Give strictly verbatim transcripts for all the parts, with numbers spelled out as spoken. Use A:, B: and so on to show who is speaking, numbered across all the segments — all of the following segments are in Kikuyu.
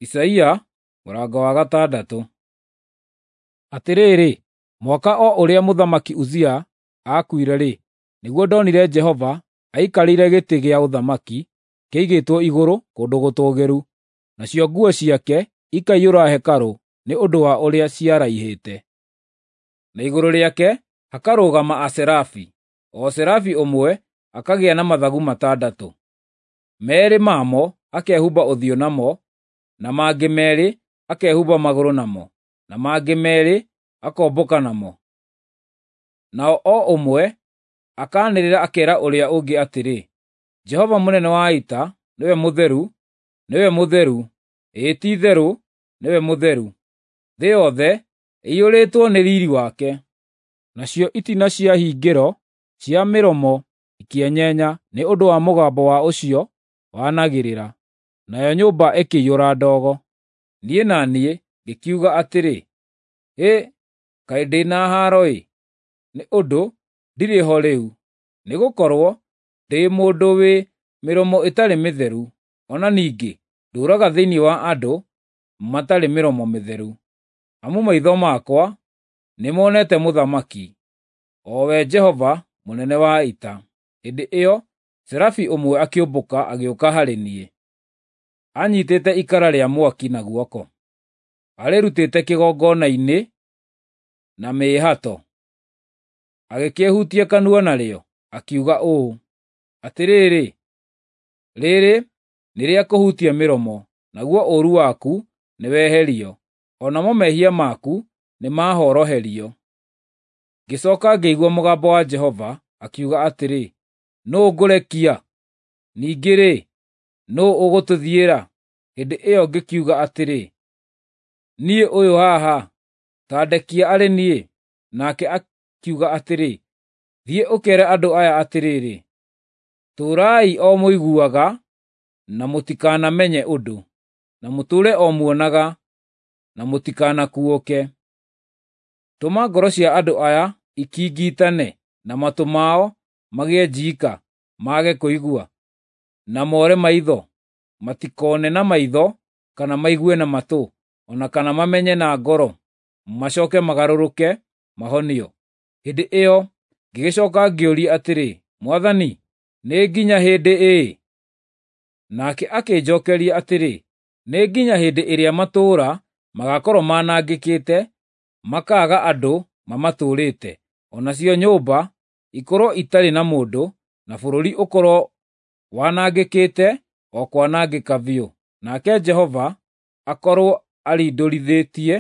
A: Isaia mũrango wa gatandatũ. Atĩrĩrĩ, mwaka o ũrĩa Mũthamaki Uzia aakuire-rĩ, nĩguo ndonire Jehova aikarĩire gĩtĩ gĩa ũthamaki kĩigĩtwo igũrũ kũndũ gũtũũgĩru, nacio nguo ciake ikaiyũra hekarũ nĩ ũndũ wa ũrĩa ciaraihĩte. Na igũrũ rĩake hakarũgama aserafi, o serafi ũmwe akagĩa na mathagu matandatũ. Meerĩ mamo akehumba ũthiũ namo, na mangĩ meerĩ akehumba magũrũ namo, na mangĩ meerĩ akombũka namo. Nao o ũmwe akaanĩrĩra akeera ũrĩa ũngĩ atĩrĩ, “Jehova mũnene wa ita nĩwe mũtheru, nĩwe mũtheru, ĩĩ ti-itherũ nĩwe mũtheru; thĩ yothe ĩiyũrĩtwo nĩ riiri wake.” Nacio itina cia hingĩro cia mĩromo ikĩenyenya nĩ ũndũ wa mũgambo wa ũcio wanagĩrĩra, nayo nyũmba ĩkĩiyũra ndogo. Niĩ na niĩ ngĩkiuga atĩrĩ, “Hĩ, kaĩ ndĩ na haaro-ĩ, nĩ ũndũ ndirĩ ho rĩu, nĩgũkorwo ndĩ mũndũ wĩ mĩromo ĩtarĩ mĩtheru, o na ningĩ ndũũraga thĩinĩ wa andũ matarĩ mĩromo mĩtheru. Amu maitho makwa nĩmonete Mũthamaki, o we Jehova mũnene wa ita.” Hĩndĩ ĩyo serafi ũmwe akĩũmbũka agĩũka harĩ niĩ, anyiitĩte ikara rĩa mwaki na guoko, arĩrutĩte kĩgongona-inĩ na mĩĩhato. Agĩkĩĩhutia kanua narĩo, akiuga ũũ, “Atĩrĩrĩ, rĩrĩ nĩrĩakũhutia mĩromo, naguo ũũru waku nĩweherio, o namo mehia maku nĩmahoroherio.” Ngĩcooka ngĩigua mũgambo wa Jehova akiuga atĩrĩ, “Nũũ ngũrekia? Ningĩ-rĩ, nũũ ũgũtũthiĩra?” Hĩndĩ ĩyo ngĩkiuga atĩrĩ, “Niĩ ũyũ haha, ta ndekia arĩ niĩ.” Nake akiuga atĩrĩ, “Thiĩ ũkeere andũ aya atĩrĩrĩ, ‘Tũũrai o mũiguaga na mũtikanamenye ũndũ, na mũtũũre o muonaga na mũtikanakuũke.’ Tũma ngoro cia andũ aya ikingitane, na matũ mao magĩe njiika mage kũigua, na more maitho, matikoone na maitho kana maigue na matũ, o na kana mamenye na ngoro, macooke magarũrũke mahonio.” Hĩndĩ ĩyo ngĩgĩcooka ngĩũria atĩrĩ, “Mwathani, nĩ nginya hĩndĩ ĩ?” Nake akĩnjookeria atĩrĩ, “Nĩ nginya hĩndĩ ĩrĩa matũũra magaakorwo manangĩkĩte, makaaga andũ mamatũũrĩte, o nacio nyũmba ikorwo itarĩ na mũndũ, na bũrũri ũkorwo wanangĩkĩte o kwanangĩka biũ, nake Jehova akorwo arindũrithĩtie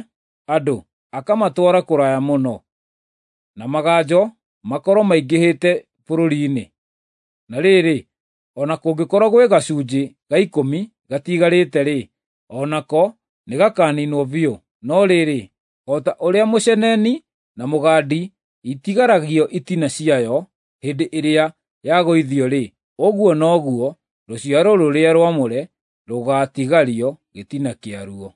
A: andũ, akamatwara kũraya mũno, na maganjo makorwo maingĩhĩte bũrũri-inĩ. Na rĩrĩ, o na kũngĩkorwo gwĩ gacunjĩ ga ikũmi gatigarĩte-rĩ, o nako nĩgakaniinwo biũ. No rĩrĩ, o ta ũrĩa mũceneni na mũgandi itigaragio itina ciayo hĩndĩ ĩrĩa yagũithio-rĩ, ũguo noguo rũciaro rũrĩa rwamũre rũgaatigario gĩtina kĩaruo.